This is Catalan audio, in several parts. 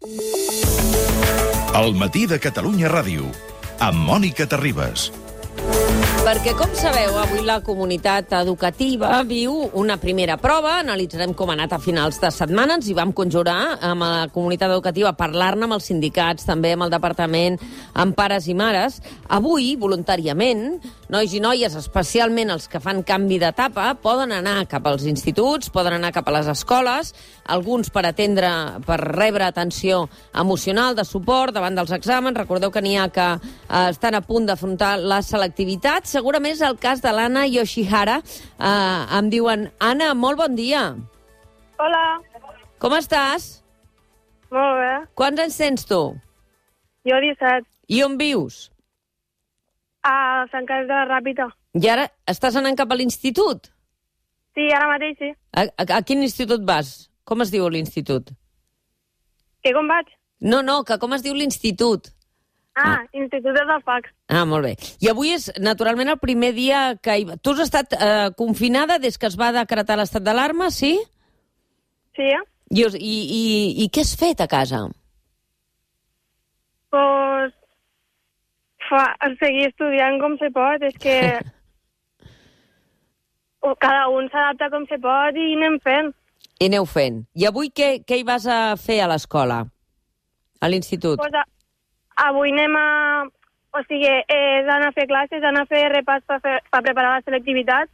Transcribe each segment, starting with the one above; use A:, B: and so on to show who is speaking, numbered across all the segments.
A: El matí de Catalunya Ràdio, amb Mònica Terribas.
B: Perquè, com sabeu, avui la comunitat educativa viu una primera prova. Analitzarem com ha anat a finals de setmana. Ens hi vam conjurar amb la comunitat educativa a parlar-ne amb els sindicats, també amb el departament, amb pares i mares. Avui, voluntàriament, nois i noies, especialment els que fan canvi d'etapa, poden anar cap als instituts, poden anar cap a les escoles, alguns per rebre atenció emocional, de suport davant dels exàmens. Recordeu que n'hi ha que estan a punt d'afrontar la selectivitat. Segurament és el cas de l'Anna Yoshihara. Em diuen, Anna, molt bon dia.
C: Hola.
B: Com estàs?
C: Molt bé.
B: Quants anys tens tu?
C: Jo 17.
B: I on vius?
C: A Sant Carles de la Ràpita.
B: I ara estàs anant cap a l'institut?
C: Sí, ara mateix sí.
B: A quin institut vas? Com es diu l'institut?
C: Que com vaig?
B: No, que com es diu l'institut?
C: Institut de Fax.
B: Molt bé. I avui és, naturalment, el primer dia que... Tu has estat confinada des que es va decretar l'estat d'alarma, sí?
C: Sí,
B: I què has fet a casa?
C: Pues... seguir estudiant com se pot. És que... cada un s'adapta com se pot i anem fent.
B: I aneu fent. I avui què hi vas a fer a l'escola? A l'institut?
C: Pues avui anem a... O sigui, és anar a fer classes, anar a fer repàs per preparar la selectivitat,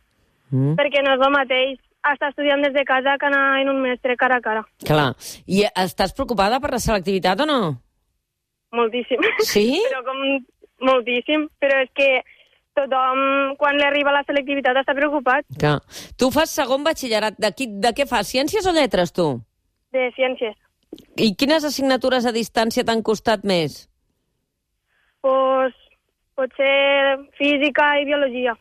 C: perquè no és el mateix estar estudiant des de casa que anar en un mestre cara a cara.
B: Clar. I estàs preocupada per la selectivitat o no?
C: Moltíssim.
B: Sí?
C: Però moltíssim. Però és que tothom, quan li arriba la selectivitat, està preocupat.
B: Clar. Tu fas segon batxillerat. De què fas? Ciències o lletres, tu?
C: De ciències.
B: I quines assignatures a distància t'han costat més?
C: Pues, potser física i biologia.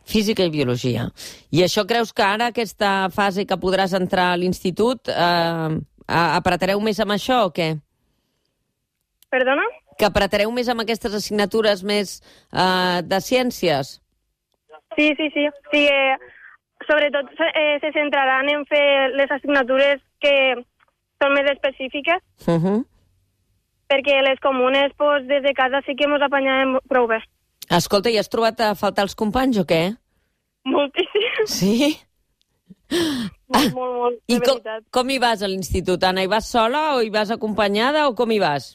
B: Física i biologia. I això creus que ara, aquesta fase que podràs entrar a l'institut, apretareu més amb això o què?
C: Perdona?
B: Que apretareu més amb aquestes assignatures més de ciències?
C: Sí. Sí, sobretot se centraran en fer les assignatures que són més específiques, perquè les comunes, pues, des de casa sí que ens apanyàvem prou bé.
B: Escolta, i has trobat a faltar els companys o què?
C: Moltíssim.
B: Sí?
C: Molt, de veritat.
B: Com hi vas a l'institut, Anna? Hi vas sola o hi vas acompanyada o com hi vas?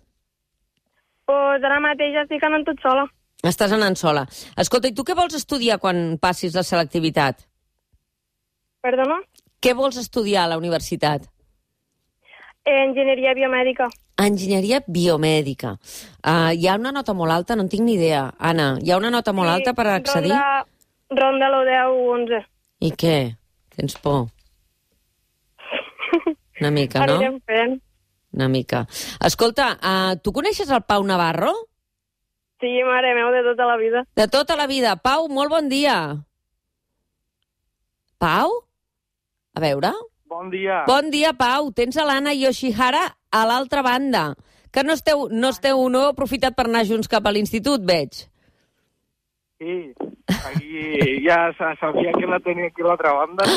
C: Pues ara mateix estic anant tot sola.
B: Estàs anant sola. Escolta, i tu què vols estudiar quan passis la selectivitat?
C: Perdona?
B: Què vols estudiar a la universitat?
C: Enginyeria biomèdica.
B: Enginyeria biomèdica. Hi ha una nota molt alta? No en tinc ni idea. Anna, hi ha una nota molt alta per accedir?
C: Ronda lo 10 o 11.
B: I què? Tens por? Una mica, no?
C: Anirem fent.
B: Una mica. Escolta, tu coneixes el Pau Navarro?
C: Sí, mare meu, de tota la vida.
B: De tota la vida. Pau, molt bon dia. Pau? A veure...
D: Bon dia.
B: Bon dia, Pau. Tens a l'Anna Yoshihara a l'altra banda. Que no heu aprofitat per anar junts cap a l'institut, veig.
D: Sí, aquí ja sabia que la tenia aquí a l'altra banda.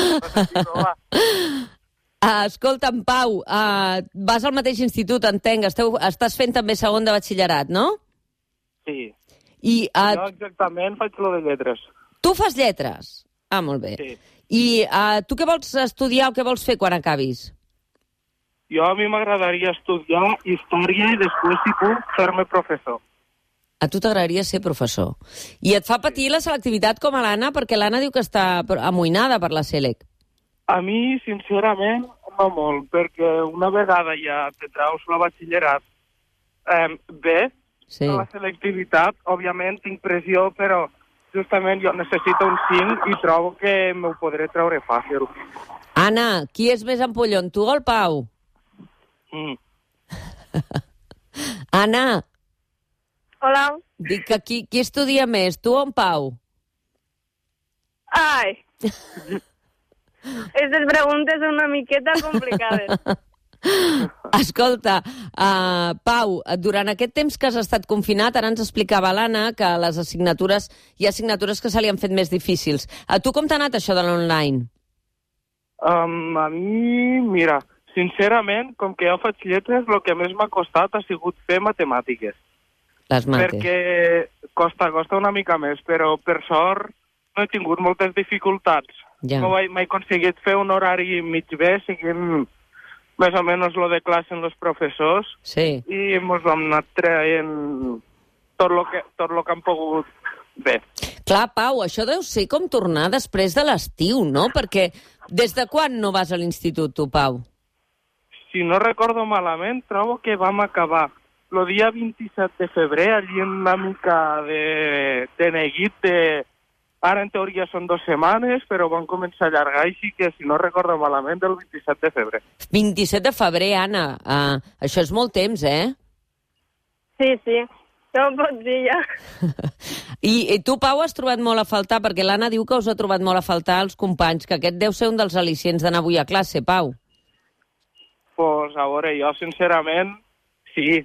B: Escolta'm, Pau, vas al mateix institut, entenc. Estàs fent també segon de batxillerat, no?
D: Sí.
B: Jo
D: exactament faig lo de lletres.
B: Tu fas lletres? Molt bé.
D: Sí.
B: I tu què vols estudiar o què vols fer quan acabis?
D: Jo a mi m'agradaria estudiar història i després, si puc, fer-me professor.
B: A tu t'agradaria ser professor. I et fa patir la selectivitat com a l'Anna? Perquè l'Anna diu que està amoïnada per la Selec.
D: A mi, sincerament, no molt, perquè una vegada ja te traus la batxillerat bé,
B: sí.
D: La selectivitat, òbviament, tinc pressió, però justament jo necessito un 5 i trobo que m'ho podré treure fàcil.
B: Anna, qui és més ampollon, tu o el Pau? Anna.
C: Hola.
B: Dic que qui estudia més, tu o en Pau?
C: Ai. Aquestes preguntes són una miqueta complicades.
B: Escolta, Pau, durant aquest temps que has estat confinat, ara ens explicava l'Anna que les assignatures, hi ha assignatures que se li han fet més difícils. A tu com t'ha anat això de l'online?
D: A mi, mira, sincerament, com que jo faig lletres, el que més m'ha costat ha sigut fer matemàtiques.
B: Les mates.
D: Perquè costa una mica més, però per sort no he tingut moltes dificultats.
B: Ja.
D: No m'he aconseguit fer un horari mig bé, seguint més o menys lo de classe en els professors,
B: Sí.
D: i ens vam anar traient tot lo que han pogut bé.
B: Clar, Pau, això deu ser com tornar després de l'estiu, no? Perquè des de quan no vas a l'institut, tu, Pau?
D: Si no recordo malament, trobo que vam acabar el dia 27 de febrer, allí una mica de neguit de... Ara, en teoria, són 2 setmanes, però van començar a allargar, així que, si no recordo malament, el 27 de febrer.
B: 27 de febrer, Anna. Això és molt temps, eh?
C: Sí, no ho pots dir ja.
B: I tu, Pau, has trobat molt a faltar, perquè l'Anna diu que us ha trobat molt a faltar els companys, que aquest deu ser un dels al·licients d'anar avui a classe, Pau.
D: Pues, a veure, jo, sincerament, sí,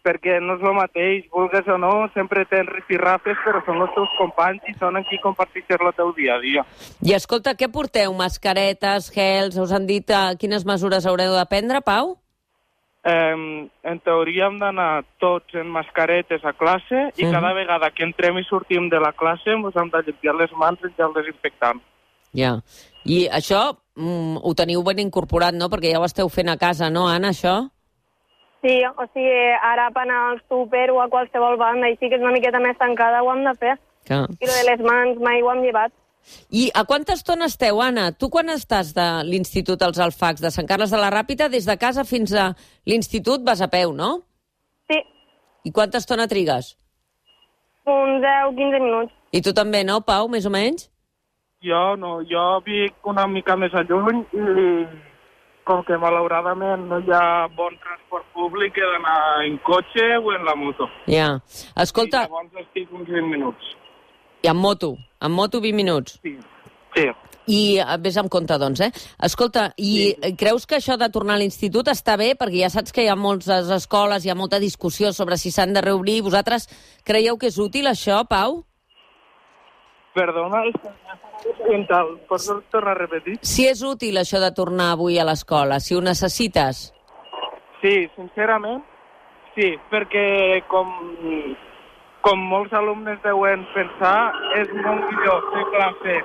D: perquè no és el mateix, vulgues o no, sempre tens rifirrafes, però són els teus companys i són amb qui comparteixes el teu dia a dia.
B: I escolta, què porteu? Mascaretes, gels? Us han dit quines mesures haureu de prendre, Pau?
D: En teoria hem d'anar tots en mascaretes a classe i cada vegada que entrem i sortim de la classe ens hem de limpiar les mans en gel desinfectant.
B: Ja. I això ho teniu ben incorporat, no? Perquè ja ho esteu fent a casa, no, Anna, això?
C: Sí, o sigui, ara per anar al súper o a qualsevol banda, i sí que és una miqueta més tancada, ho hem de fer.
B: Clar.
C: I lo de les mans mai ho hem llevat.
B: I a quanta estona esteu, Anna? Tu quan estàs de l'Institut als Alfacs, de Sant Carles de la Ràpita, des de casa fins a l'institut vas a peu, no?
C: Sí,
B: I quanta estona trigues?
C: uns 10-15 minuts.
B: I tu també, no, Pau, més o menys?
D: Jo no, jo vic una mica més a lluny i com que malauradament no hi ha bon transport públic, he d'anar en cotxe o en la moto.
B: Ja. Escolta...
D: I llavors estic uns 20 minuts.
B: I amb moto 20 minuts.
D: Sí.
B: I vés amb compte, doncs, eh? Escolta, i creus que això de tornar a l'institut està bé? Perquè ja saps que hi ha moltes escoles, hi ha molta discussió sobre si s'han de reobrir. Vosaltres creieu que és útil, això, Pau?
D: Perdona, pots tornar a repetir?
B: Si és útil, això de tornar avui a l'escola, si ho necessites.
D: Sí, sincerament, sí, perquè com molts alumnes deuen pensar, és molt millor fer classe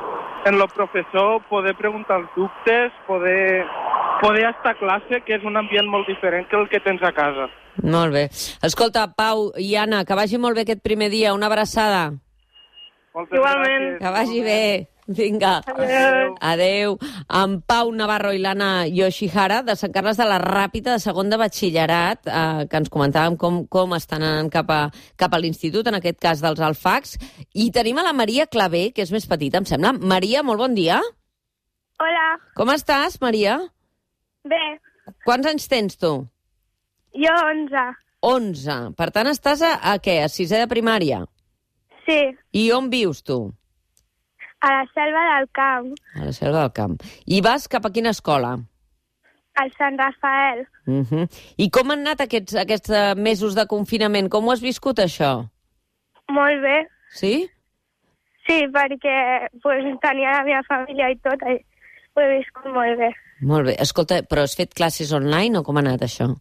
D: en el professor, poder preguntar els dubtes, poder estar a classe, que és un ambient molt diferent que el que tens a casa.
B: Molt bé. Escolta, Pau i Anna, que vagi molt bé aquest primer dia. Una abraçada.
D: Moltes
C: Igualment.
D: gràcies.
B: Que vagi bé. Vinga.
C: Adéu.
B: Adéu. En Pau Navarro i l'Anna Yoshihara, de Sant Carles de la Ràpita, de segon de batxillerat, que ens comentàvem com estan anant cap a l'institut, en aquest cas dels Alfacs. I tenim a la Maria Clavé, que és més petita, em sembla. Maria, molt bon dia.
C: Hola.
B: Com estàs, Maria?
C: Bé,
B: Quants anys tens, tu?
C: jo 11.
B: 11. Per tant, estàs a què? A sisè de primària?
C: Sí,
B: I on vius, tu?
C: a la Selva del Camp,
B: A la Selva del Camp. I vas cap a quina escola?
C: al Sant Rafael.
B: I com han anat aquests mesos de confinament? Com ho has viscut, això?
C: Molt bé.
B: Sí?
C: Sí, perquè pues, tenia la meva família i tot, i ho he viscut molt bé.
B: Molt bé. Escolta, però has fet classes online o com ha anat, això?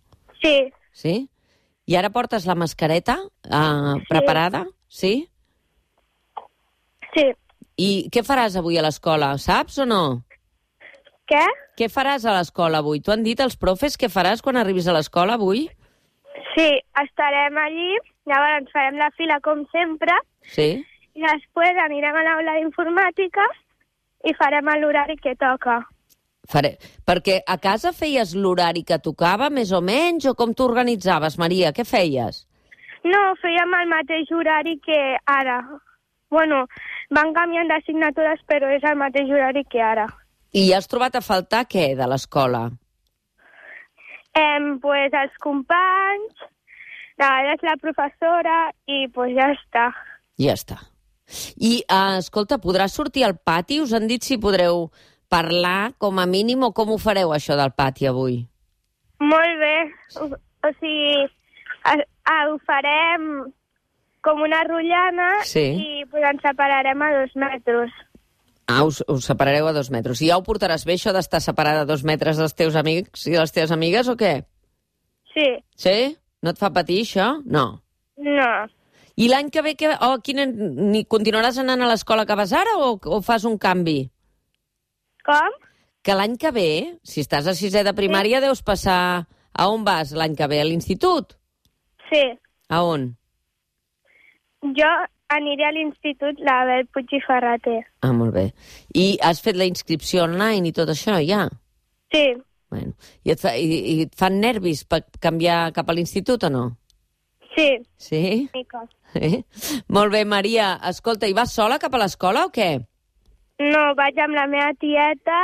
C: Sí,
B: Sí? I ara portes la mascareta preparada? Sí?
C: sí.
B: I què faràs avui a l'escola? Saps o no?
C: Què?
B: Què faràs a l'escola avui? T'ho han dit els profes què faràs quan arribis a l'escola avui?
C: Sí, estarem allí, llavors farem la fila com sempre,
B: Sí?
C: i després anirem a l'aula d'informàtica i farem l'horari que toca.
B: Perquè a casa feies l'horari que tocava, més o menys, o com t'organitzaves, Maria? Què feies?
C: No, fèiem el mateix horari que ara. Bueno, van canviant d'assignatures, però és el mateix horari que ara.
B: I has trobat a faltar què de l'escola?
C: Pues els companys, de vegades la professora i pues ja està.
B: Ja està. I, escolta, podràs sortir al pati? Us han dit si podreu parlar, com a mínim, o com ho fareu, això del pati, avui?
C: Molt bé. O sigui, ho farem com una rotllana
B: Sí.
C: i pues, ens separarem a 2 metres.
B: Us separareu a 2 metres. I ja ho portaràs bé, això d'estar separada a 2 metres dels teus amics i de les teves amigues, o què?
C: Sí.
B: Sí? No et fa patir, això? No.
C: No.
B: I l'any que ve, ni continuaràs anant a l'escola que vas ara o fas un canvi?
C: Com?
B: Que l'any que ve, si estàs a 6è de primària, deus passar... A on vas l'any que ve? A l'institut?
C: Sí.
B: A on?
C: Jo aniré a l'institut l'Abel Puig i Ferrater.
B: Ah, molt bé. I has fet la inscripció online i tot això, ja?
C: Sí.
B: Bueno. I et fan nervis per canviar cap a l'institut o no?
C: Sí.
B: Sí?
C: Mica.
B: Molt bé, Maria. Escolta, i vas sola cap a l'escola o què?
C: No, vaig amb la meva tieta,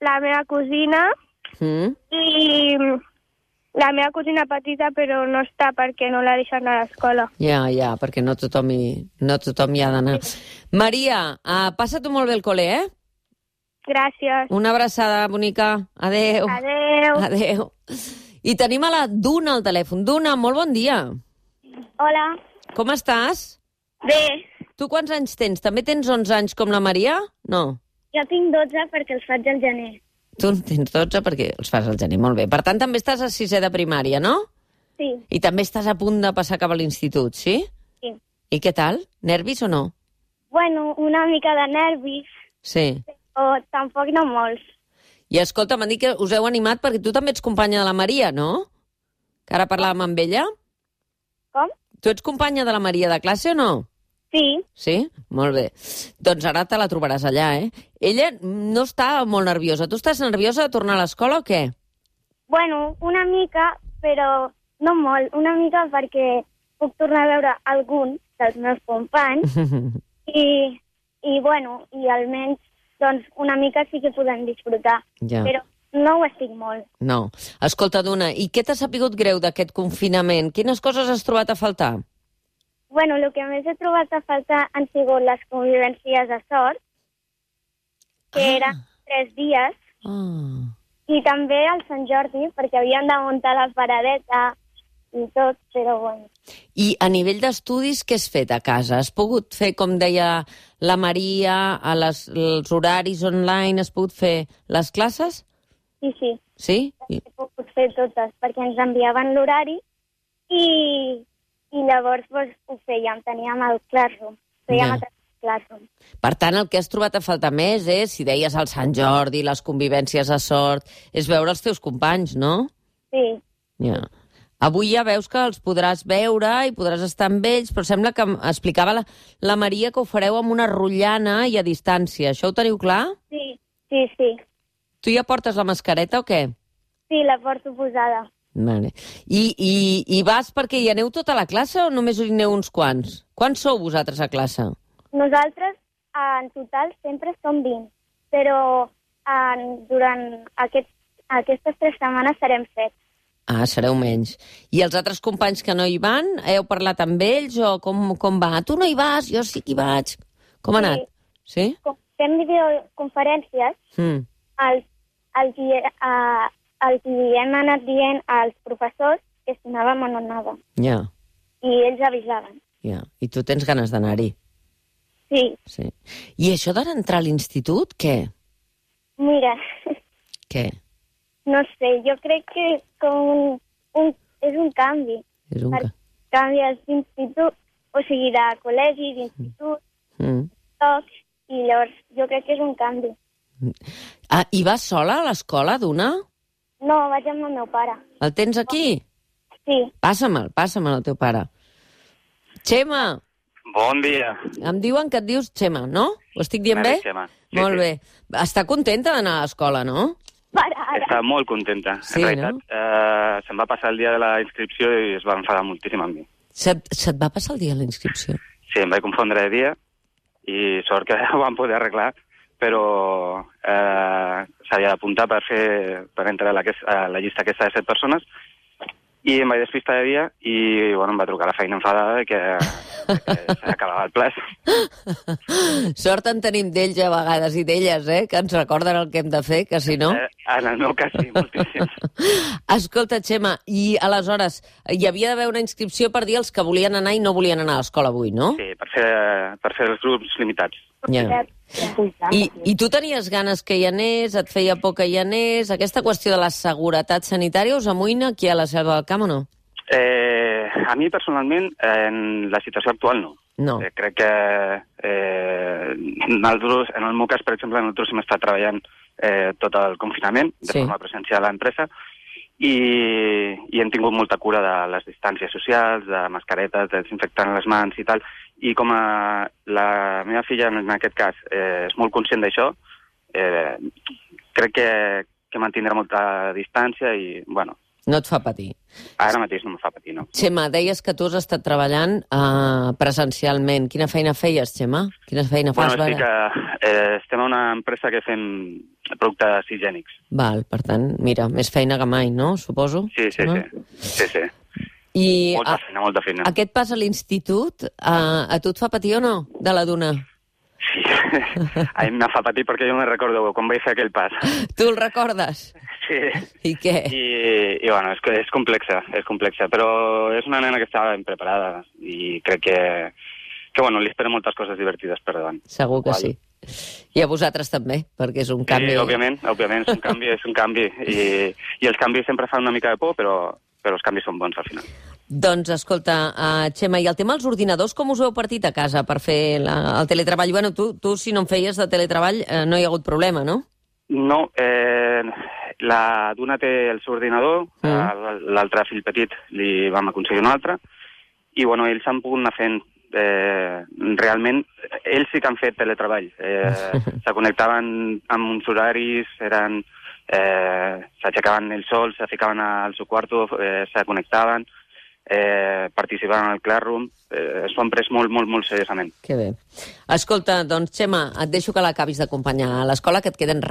C: la meva cosina i la meva cosina petita, però no està perquè no la deixen a l'escola.
B: Ja, perquè no tothom hi ha d'anar. Maria, passa-t'ho molt bé al col·le, eh?
C: Gràcies.
B: Una abraçada, bonica. Adéu.
C: Adéu.
B: Adéu. I tenim a la Duna al telèfon. Duna, molt bon dia.
C: Hola.
B: Com estàs?
C: Bé.
B: Tu quants anys tens? També tens 11 anys com la Maria? No.
C: Jo tinc 12 perquè els faig al gener.
B: Tu en tens 12 perquè els fas al gener. Molt bé. Per tant, també estàs a 6è de primària, no?
C: Sí.
B: I també estàs a punt de passar cap a l'institut, sí?
C: Sí.
B: I què tal? Nervis o no?
C: Bueno, una mica de nervis,
B: Sí.
C: o tampoc no molts.
B: I escolta, m'han dit que us heu animat perquè tu també ets companya de la Maria, no? Que ara parlàvem amb ella.
C: Com?
B: Tu ets companya de la Maria de classe o no?
C: Sí.
B: Sí? Molt bé. Doncs ara te la trobaràs allà, eh? Ella no està molt nerviosa. Tu estàs nerviosa de tornar a l'escola o què?
C: Bueno, una mica, però no molt. Una mica perquè puc tornar a veure algun dels meus companys i almenys doncs, una mica sí que podem disfrutar.
B: Ja.
C: Però no ho estic molt.
B: No. Escolta, Duna, i què t'ha sapigut greu d'aquest confinament? Quines coses has trobat a faltar?
C: Bueno, el que més he trobat a faltar han sigut les convivències de sort, que eren 3 dies, i també el Sant Jordi, perquè havien de muntar la paradeta i tot, però bueno.
B: I a nivell d'estudis, què has fet a casa? Has pogut fer, com deia la Maria, els horaris online, has pogut fer les classes?
C: Sí, sí.
B: Sí?
C: He pogut fer totes, perquè ens enviaven l'horari i llavors ho fèiem, teníem el Classroom. Fèiem a Classroom.
B: Per tant, el que has trobat a faltar més és, si deies el Sant Jordi, les convivències a sort, és veure els teus companys, no?
C: Sí.
B: Ja. Avui ja veus que els podràs veure i podràs estar amb ells, però sembla que explicava la Maria que ho fareu amb una rotllana i a distància. Això ho teniu clar?
C: Sí, sí, sí.
B: Tu ja portes la mascareta o què?
C: Sí, la porto posada.
B: Vale. I vas perquè hi aneu tota la classe o només hi aneu uns quants? Quants sou vosaltres a classe?
C: Nosaltres, en total, sempre som 20, però durant aquestes 3 setmanes serem 7.
B: Ah, sereu menys. I els altres companys que no hi van, heu parlat amb ells o com va? Tu no hi vas, jo sí que hi vaig. Com ha anat? Sí?
C: Fem videoconferències, els hem anat dient als professors que si anàvem o no anàvem.
B: Ja.
C: I ells avisaven.
B: Ja. I tu tens ganes d'anar-hi?
C: Sí.
B: Sí. I això d'entrar a l'institut, què?
C: Mira.
B: Què?
C: No sé, jo crec que és un canvi.
B: És un canvi.
C: Canvies d'institut, o sigui, de col·legi, d'institut, tocs, i llavors jo crec que és un canvi.
B: Ah, i vas sola a l'escola, Duna?
C: No, vaig amb el meu pare.
B: El tens aquí?
C: Sí.
B: Passam'l al teu pare. Xema!
E: Bon dia.
B: Em diuen que et dius Xema, no? Ho estic dient bé?
E: Xema. Sí,
B: molt bé. Està contenta d'anar a l'escola, no?
E: Està molt contenta.
B: Sí,
E: en realitat, se'm va passar el dia de la inscripció i es va enfadar moltíssim amb mi.
B: Se't va passar el dia de la inscripció?
E: Sí, em vaig confondre de dia i sort que ho vam poder arreglar, però s'havia d'apuntar per entrar a la llista aquesta de 7 persones i em vaig despistar de dia i bueno, em va trucar la feina enfadada que s'acabava el ple.
B: Sort en tenim d'ells a vegades i d'elles, que ens recorden el que hem de fer, que si no...
E: En el meu cas sí, moltíssim.
B: Escolta, Txema, i aleshores hi havia d'haver una inscripció per dir els que volien anar i no volien anar a l'escola avui, no?
E: Sí, per fer els grups limitats.
B: Ja. I tu tenies ganes que hi anés, et feia por que hi anés? Aquesta qüestió de la seguretat sanitària us amoïna aquí a la Selva del Camp o no?
E: A mi, personalment, en la situació actual, no.
B: No.
E: Crec que nosaltres, en el meu cas, per exemple, nosaltres hem estat treballant tot el confinament de forma presencial a l'empresa i hem tingut molta cura de les distàncies socials, de mascaretes, de desinfectant les mans i tal. I com la meva filla, en aquest cas, és molt conscient d'això, crec que mantindrà molta distància i, bueno...
B: No et fa patir.
E: Ara mateix no em fa patir, no.
B: Txema, deies que tu has estat treballant presencialment. Quina feina feies, Txema? Quina feina fas?
E: Bueno, estem a una empresa que fem productes higiènics.
B: Val, per tant, mira, més feina que mai, no? Suposo?
E: Sí.
B: I
E: molta feina.
B: Aquest pas a l'institut, a tu et fa patir o no, de la duna?
E: Sí, a mi me fa patir perquè jo me recordo quan vaig fer aquell pas.
B: Tu el recordes?
E: Sí.
B: I què?
E: I bueno, és complexa, però és una nena que estava ben preparada i crec que bueno, li esperen moltes coses divertides per davant.
B: Segur que sí. I a vosaltres també, perquè és un canvi...
E: Sí, òbviament, és un canvi. I els canvis sempre fan una mica de por, però els canvis són bons al final.
B: Doncs, escolta, Txema, i el tema dels ordinadors, com us ho heu partit a casa per fer el teletreball? Bueno, tu si no en feies de teletreball, no hi ha hagut problema, no?
E: No, la Duna té el seu ordinador, l'altre fill petit li vam aconseguir un altre, i bueno, ells han pogut anar fent realment, ells sí que han fet teletreball. Se connectaven amb uns horaris, s'aixecaven ells sols, se ficaven al seu quarto, se connectaven, participaven al Classroom, s'ho han pres molt seriosament.
B: Que bé. Escolta, doncs, Txema, et deixo que l'acabis d'acompanyar a l'escola, que et queden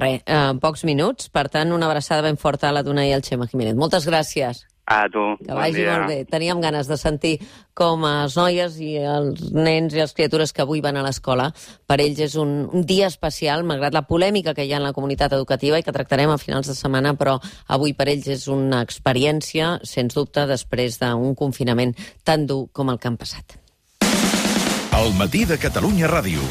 B: pocs minuts, per tant, una abraçada ben forta a la Duna i al Txema Jiménez. Moltes gràcies.
E: A tu.
B: Que vagi molt bé. Teníem ganes de sentir com les noies i els nens i les criatures que avui van a l'escola, per ells és un dia especial, malgrat la polèmica que hi ha en la comunitat educativa i que tractarem a finals de setmana, però avui per ells és una experiència, sens dubte, després d'un confinament tan dur com el que han passat.
A: El matí de Catalunya Ràdio.